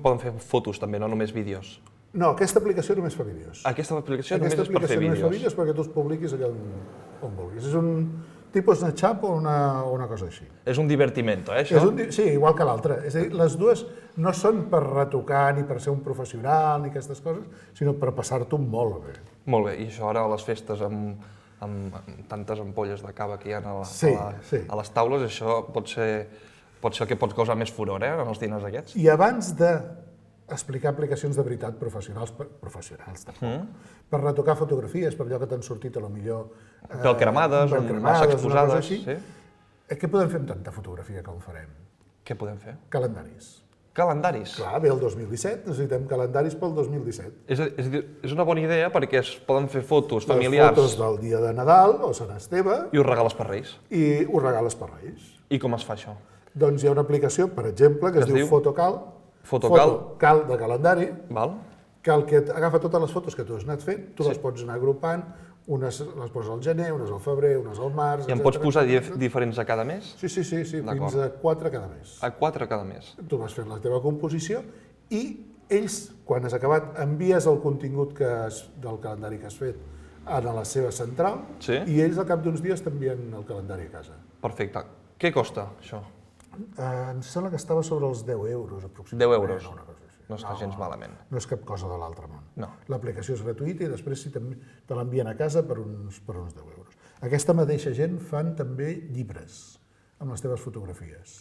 poden fer fotos també, no només vídeos. No, aquesta aplicació només fa vídeos. Aquesta aplicació només és per fer vídeos. Només fa vídeos perquè tu els publiquis allà on vulguis. És un tipus Snapchat o una cosa així. És un divertimento, això? Sí, igual que l'altre. És a dir, les dues no són per retocar ni per ser un professional ni aquestes coses, sinó per passar-t'ho molt bé. Molt bé, i això ara a les festes amb tantes ampolles de cava que hi ha a les taules, això pot ser el que pot causar més furor, en els diners aquests. I abans d'explicar aplicacions de veritat professionals tampoc, per retocar fotografies, per allò que t'han sortit a lo millor... Pel cremades, massa exposades, sí. Què podem fer amb tanta fotografia que en farem? Què podem fer? Calendaris. Calendaris? Clar, ve el 2017, necessitem calendaris pel 2017. És una bona idea perquè es poden fer fotos familiars. Les fotos del dia de Nadal o Sant Esteve. I ho regales per Reis. I ho regales per Reis. I com es fa això? Doncs hi ha una aplicació, per exemple, que es diu Fotocal. Fotocal de calendari. Val. Que agafa totes les fotos que tu has anat fent, tu les pots anar agrupant, unes les poses al gener, unes al febrer, unes al març... I en pots posar diferents a cada mes? Sí, fins a 4 cada mes. A 4 cada mes. Tu vas fent la teva composició i ells, quan has acabat, envies el contingut del calendari que has fet a la seva central i ells al cap d'uns dies t'envien el calendari a casa. Perfecte. Què costa, això? Em sembla que estava sobre els 10 euros, aproximadament. 10 euros? No està gens malament. No és cap cosa de l'altre món. No. L'aplicació és gratuïta i després te l'envien a casa per uns 10 euros. Aquesta mateixa gent fan també llibres amb les teves fotografies.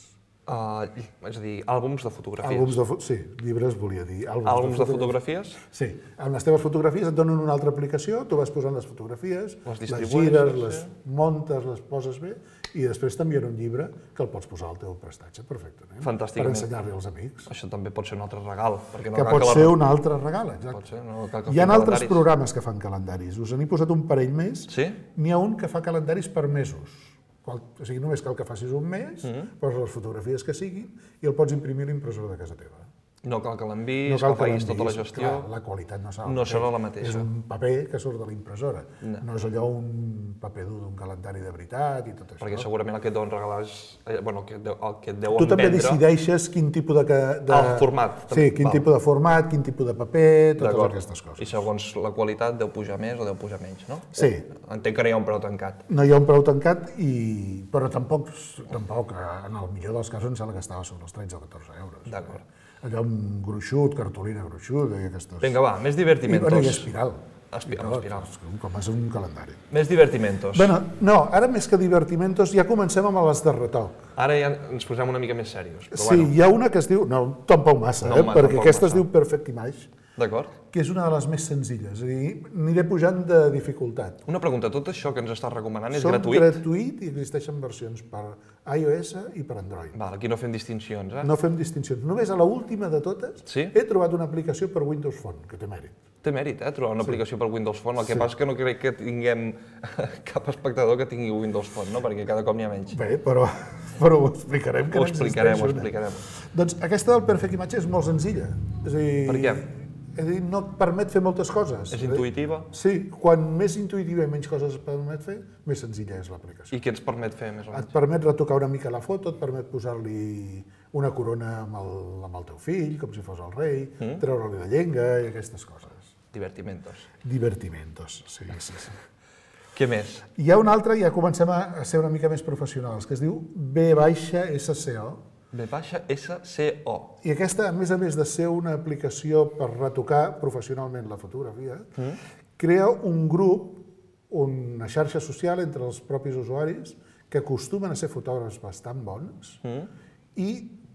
És a dir, àlbums de fotografies. Sí, llibres volia dir. Àlbums de fotografies? Sí, amb les teves fotografies et donen una altra aplicació, tu vas posant les fotografies, les gires, les montes, les poses bé, i després t'envien un llibre que el pots posar al teu prestatge perfectament. Fantàsticament. Per ensenyar-li als amics. Això també pot ser un altre regal. Que pot ser un altre regal, exacte. Hi ha altres programes que fan calendaris. Us n'he posat un parell més. Sí? N'hi ha un que fa calendaris per mesos. O sigui, només cal que facis un mes, poses les fotografies que siguin i el pots imprimir a l'impressora de casa teva. No cal que l'enviïs, que facis tota la gestió. Clar, la qualitat no serà la mateixa. És un paper que surt de l'impressora. No és allò un paper dur d'un calendari de veritat i tot això. Perquè segurament el que et deuen regalar és... Bueno, el que et deuen vendre... Tu també decideixes quin tipus de... El format. Sí, quin tipus de format, quin tipus de paper, totes aquestes coses. I segons la qualitat deu pujar més o deu pujar menys, no? Sí. Entenc que no hi ha un preu tancat. No hi ha un preu tancat, però tampoc, en el millor dels casos, em sembla que estava sobre els 13 o 14 euros. D'acord. Allò amb gruixut, cartolina gruixuda i aquestes... Vinga, va, més divertimentos. I espiral. Espiral. Com és un calendari. Més divertimentos. Bueno, no, ara més que divertimentos ja comencem amb les de retoc. Ara ja ens posem una mica més serios. Sí, hi ha una que es diu... No, tampoc massa, perquè aquesta es diu Perfect Image. D'acord. Que és una de les més senzilles, és a dir, aniré pujant de dificultat. Una pregunta, tot això que ens estàs recomanant és gratuït? Són gratuït i existeixen versions per iOS i per Android. Val, aquí no fem distincions, No fem distincions. Només a l'última de totes he trobat una aplicació per Windows Phone, que té mèrit. Té mèrit, trobar una aplicació per Windows Phone. El que passa és que no crec que tinguem cap espectador que tingui Windows Phone, no? Perquè cada cop n'hi ha menys. Bé, però ho explicarem, que ho explicarem. Doncs aquesta del Perfect Image és molt senzilla. És a dir, per què? És a dir, no et permet fer moltes coses. És intuïtiva? Sí, quan més intuïtiva i menys coses et permet fer, més senzilla és l'aplicació. I què ens permet fer més o menys? Et permet retocar una mica la foto, et permet posar-li una corona amb el teu fill, com si fos el rei, treure-li la llenga i aquestes coses. Divertimentos, sí. Què més? Hi ha un altre, ja comencem a ser una mica més professionals, que es diu V-SCO, V-SCO. I aquesta, a més de ser una aplicació per retocar professionalment la fotografia, crea un grup, una xarxa social entre els propis usuaris que acostumen a ser fotògrafs bastant bons i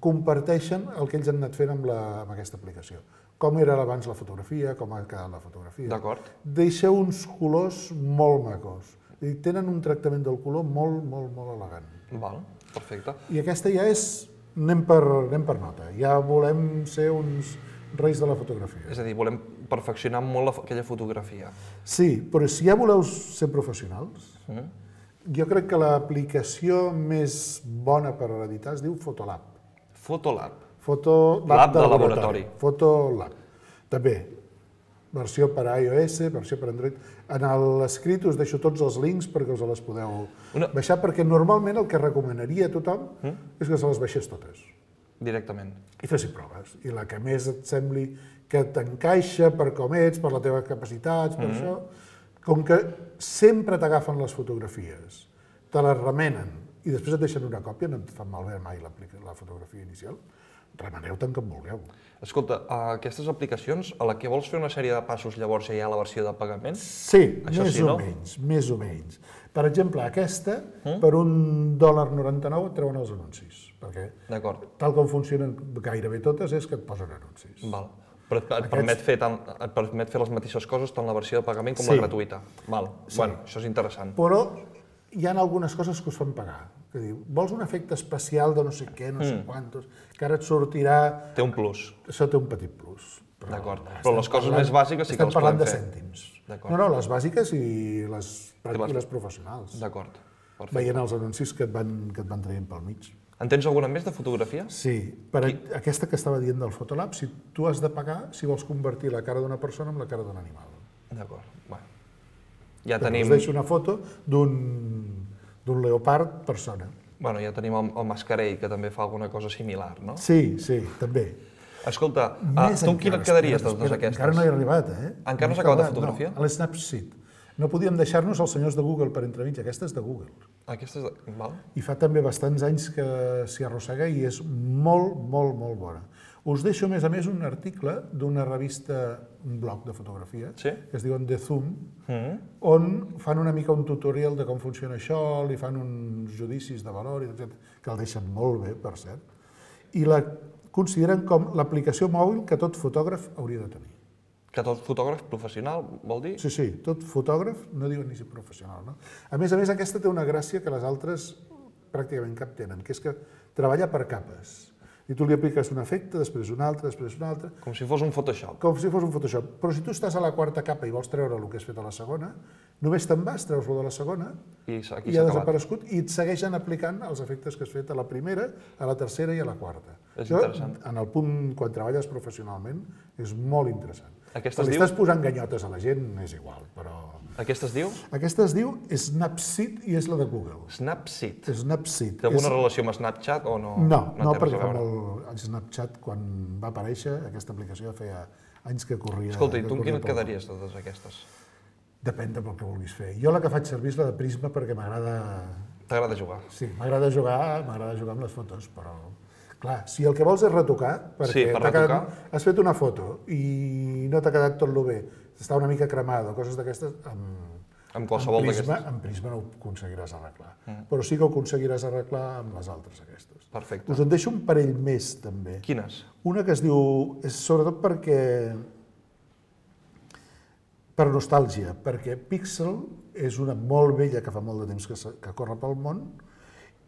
comparteixen el que ells han anat fent amb aquesta aplicació. Com era abans la fotografia, com ha quedat la fotografia. D'acord. Deixa uns colors molt macos. I tenen un tractament del color molt, molt, molt elegant. Val, perfecte. I aquesta ja és... Anem per nota. Ja volem ser uns reis de la fotografia. És a dir, volem perfeccionar molt aquella fotografia. Sí, però si ja voleu ser professionals, jo crec que l'aplicació més bona per editar es diu Fotolab. Fotolab. Fotolab de laboratori. Fotolab. També, versió per iOS, versió per Android. En l'escrit us deixo tots els links perquè us les podeu baixar, perquè normalment el que recomanaria a tothom és que se les baixés totes. Directament. I fessin proves. I la que més et sembli que t'encaixa per com ets, per les teves capacitats, per això, com que sempre t'agafen les fotografies, te les remenen i després et deixen una còpia, no et fan malbé mai la fotografia inicial, remeneu-te'n com vulgueu. Escolta, aquestes aplicacions, a la que vols fer una sèrie de passos, llavors ja hi ha la versió de pagament? Sí, més o menys. Per exemple, aquesta, per $1.99 et treuen els anuncis. Perquè tal com funcionen gairebé totes és que et posen anuncis. Val. Però et permet fer les mateixes coses tant la versió de pagament com la gratuïta. Val. Bueno, això és interessant. Però hi ha algunes coses que us fan pagar. Que diu, vols un efecte especial de no sé què, no sé quantos, que ara et sortirà... Té un plus. Això té un petit plus. D'acord. Però les coses més bàsiques sí que les podem fer. Estem parlant de cèntims. No, les bàsiques i les professionals. D'acord. Veient els anuncis que et van traient pel mig. En tens alguna més de fotografia? Sí. Per aquesta que estava dient del Fotolab, si tu has de pagar si vols convertir la cara d'una persona en la cara d'un animal. D'acord. Bueno. Ja tenim... Us deixo una foto d'un leopard persona. Bueno, ja tenim el mascarell, que també fa alguna cosa similar, no? Sí, també. Escolta, tu amb quina et quedaries de totes aquestes? Encara no he arribat, eh? Encara no s'ha acabat la fotografia? No, a l'Snapseed. No podíem deixar-nos els senyors de Google per entremig. Aquesta és de Google. Aquesta és de... Val. I fa també bastants anys que s'hi arrossega i és molt, molt, molt bona. Us deixo, a més, un article d'una revista, un blog de fotografia, que es diuen The Zoom, on fan una mica un tutorial de com funciona això, li fan uns judicis de valor, que el deixen molt bé, per cert, i la consideren com l'aplicació mòbil que tot fotògraf hauria de tenir. Que tot fotògraf professional, vol dir? Sí, tot fotògraf, no diuen ni si professional, no? A més, aquesta té una gràcia que les altres pràcticament cap tenen, que és que treballa per capes. I tu li apliques un efecte, després un altre, després un altre... Com si fos un Photoshop. Com si fos un Photoshop. Però si tu estàs a la quarta capa i vols treure el que has fet a la segona, només te'n vas, treus-lo de la segona i ha desaparegut i et segueixen aplicant els efectes que has fet a la primera, a la tercera i a la quarta. És interessant. En el punt, quan treballes professionalment, és molt interessant. Quan li estàs posant ganyotes a la gent, és igual, però... Aquesta es diu? Aquesta es diu Snapseed i és la de Google. Snapseed? Snapseed. Té alguna relació amb Snapchat o no? No, perquè el Snapchat, quan va aparèixer, aquesta aplicació feia anys que corria... Escolta, i tu amb quina et quedaries de totes aquestes? Depèn del que vulguis fer. Jo la que faig servir és la de Prisma perquè m'agrada... T'agrada jugar? Sí, m'agrada jugar amb les fotos, però... Clar, si el que vols és retocar, perquè has fet una foto i no t'ha quedat tot lo bé, està una mica cremada o coses d'aquestes, amb qualsevol d'aquestes. Amb Prisma no ho aconseguiràs arreglar, però sí que ho aconseguiràs arreglar amb les altres aquestes. Perfecte. Us en deixo un parell més, també. Quines? Una que es diu, és sobretot perquè... per nostàlgia, perquè Pixel és una molt vella que fa molt de temps que corre pel món,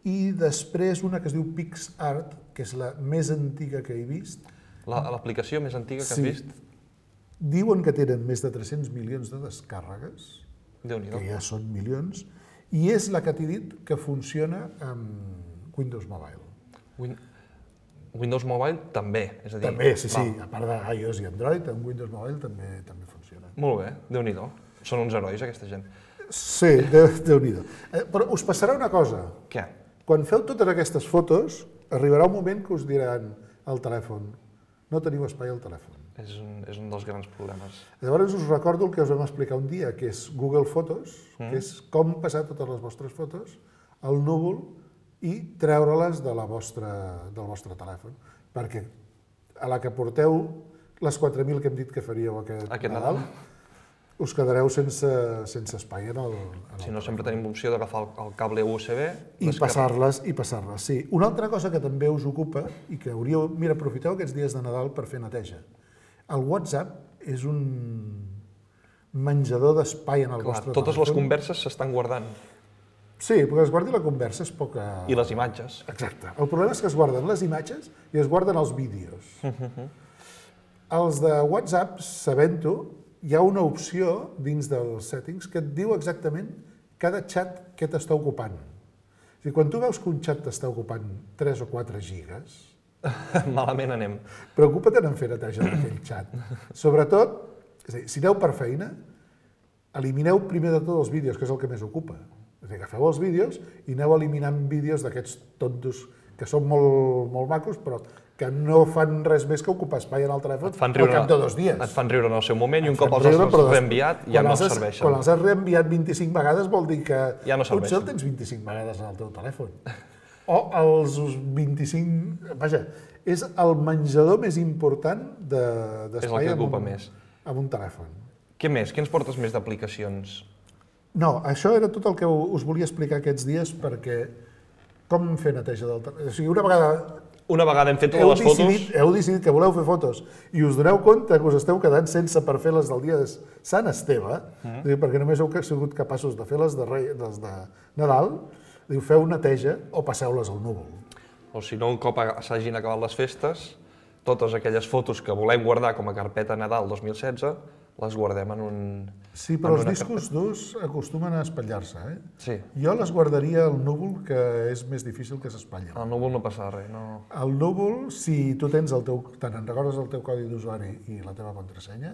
i després una que es diu PixArt, que és la més antiga que he vist. L'aplicació més antiga que has vist? Diuen que tenen més de 300 milions de descàrregues, que ja són milions, i és la que t'he dit que funciona amb Windows Mobile. Windows Mobile també, és a dir... També, sí, a part d'iOS i Android, amb Windows Mobile també funciona. Molt bé, Déu-n'hi-do. Són uns herois, aquesta gent. Sí, Déu-n'hi-do. Però us passarà una cosa. Què? Quan feu totes aquestes fotos, arribarà un moment que us diran al telèfon, no teniu espai al telèfon. És un dels grans problemes. Llavors us recordo el que us vam explicar un dia, que és Google Fotos, que és com passar totes les vostres fotos al núvol i treure-les del vostre telèfon, perquè a la que porteu les 4.000 que hem dit que faríeu aquest Nadal, us quedareu sense espai en el Si no, sempre tenim l'opció d'agafar el cable USB i passar-les, sí. Una altra cosa que també us ocupa i que hauríeu... Mira, aprofiteu aquests dies de Nadal per fer neteja. El WhatsApp és un menjador d'espai en el vostre telèfon. Totes les converses s'estan guardant. Sí, perquè es guardi la conversa és poca... I les imatges. Exacte. El problema és que es guarden les imatges i es guarden els vídeos. Els de WhatsApp, sabent-ho, hi ha una opció dins dels settings que et diu exactament cada xat què t'està ocupant. O sigui, quan tu veus que un xat t'està ocupant 3 o 4 gigas... Malament anem. Preocupa't en fer neteja d'aquell xat. Sobretot, és a dir, si aneu per feina, elimineu primer de tot els vídeos, que és el que més ocupa. És a dir, agafeu els vídeos i aneu eliminant vídeos d'aquests tontos que són molt macos, però que no fan res més que ocupar espai en el telèfon al cap de 2 dies. Et fan riure en el seu moment i un cop els has reenviat ja no serveixen. Quan els has reenviat 25 vegades vol dir que potser el tens 25 vegades en el teu telèfon. O els 25... Vaja, és el menjador més important d'espai en un telèfon. Què més? Què ens portes més d'aplicacions? No, això era tot el que us volia explicar aquests dies perquè com fer neteja del telèfon. O sigui, una vegada hem fet totes les fotos... Heu decidit que voleu fer fotos i us doneu compte que us esteu quedant sense per fer les del dia de Sant Esteve, perquè només heu sigut capaços de fer les de Nadal, feu neteja o passeu-les al núvol. O si no, un cop s'hagin acabat les festes, totes aquelles fotos que volem guardar com a carpeta Nadal 2016, les guardem en un... Sí, però els discos durs acostumen a espatllar-se, eh? Sí. Jo les guardaria al núvol, que és més difícil que s'espatllen. Al núvol no passa res, no... Al núvol, si tu tens te'n recordes el teu codi d'usuari i la teva contrasenya,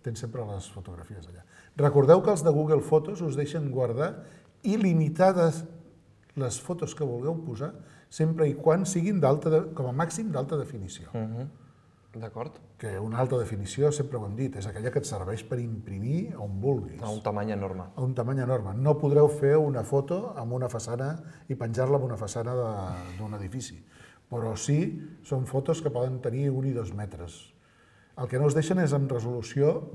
tens sempre les fotografies allà. Recordeu que els de Google Fotos us deixen guardar il·limitades les fotos que vulgueu posar, sempre i quan siguin com a màxim d'alta definició. D'acord. Que una alta definició, sempre ho hem dit, és aquella que et serveix per imprimir on vulguis. A un tamany enorme. A un tamany enorme. No podreu fer una foto amb una façana i penjar-la en una façana d'un edifici. Però sí, són fotos que poden tenir 1 i 2 metres. El que no us deixen és amb resolució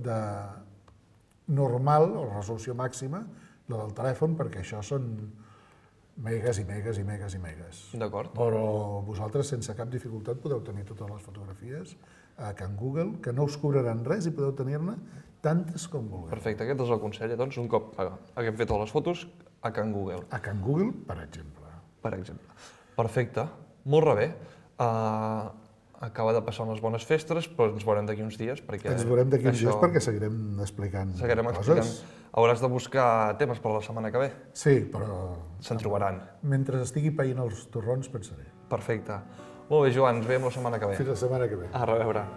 normal, o resolució màxima, la del telèfon, perquè això són megas i megas i megas i megas. D'acord. Però vosaltres, sense cap dificultat, podeu tenir totes les fotografies a Can Google, que no us cobraran res i podeu tenir-ne tantes com vulgueu. Perfecte, aquest és el consell, doncs, un cop haguem fet totes les fotos, a Can Google. A Can Google, per exemple. Per exemple. Perfecte, molt bé. Acaba de passar unes bones festes, però ens veurem d'aquí uns dies, perquè... Ens veurem d'aquí uns dies perquè seguirem explicant coses. Hauràs de buscar temes per la setmana que ve. Sí, però... Se'n trobaran. Mentre estigui païnt els torrons, pensaré. Perfecte. Molt bé, Joan, ens veiem la setmana que ve. Fins la setmana que ve. A reveure.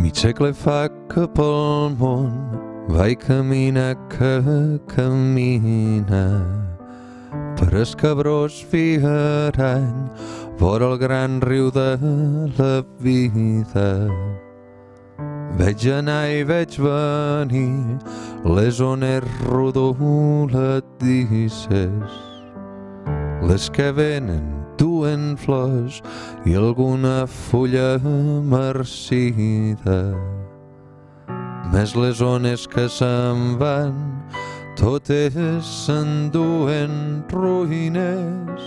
Mig segle fa que pel món vaig caminar que camina per el cabrós fiarany vora el gran riu de la vida. Veig anar i veig venir les ones rodoladisses, les que venen duen flors i alguna fulla marcida. Més les ones que se'n van, totes s'enduen ruïnes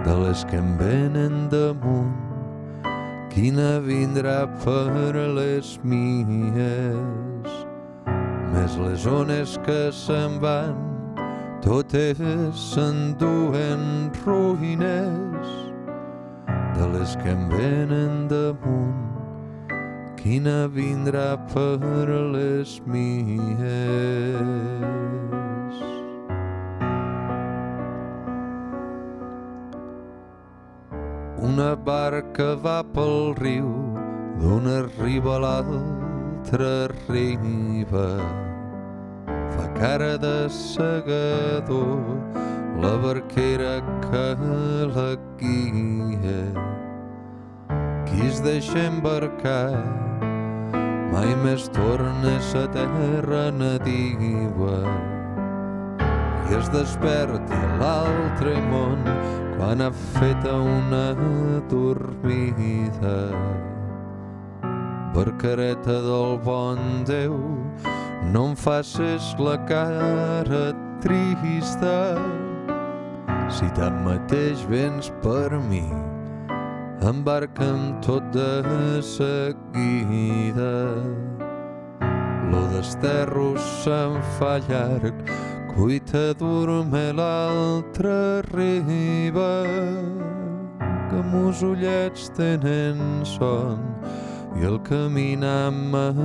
de les que em venen damunt. Quina vindrà per les mies? Més les ones que se'n van, totes s'enduen ruïnes de les que em venen damunt. Quina vindrà per les mies? Una barca va pel riu, d'una riba a l'altra riba. Fa cara de segador la barquera que la guia. Qui es deixa embarcar mai més torna a sa terra nadiua. i es desperti a l'altre món quan ha fet una dormida. Barcareta del bon Déu, no em facis la cara trista. Si tanmateix vens per mi, embarca'm tot de seguida. Lo desterro se'n fa llarg, cuita dorme l'altra riba, que mos ullets tenen son i el caminar m'afatiga.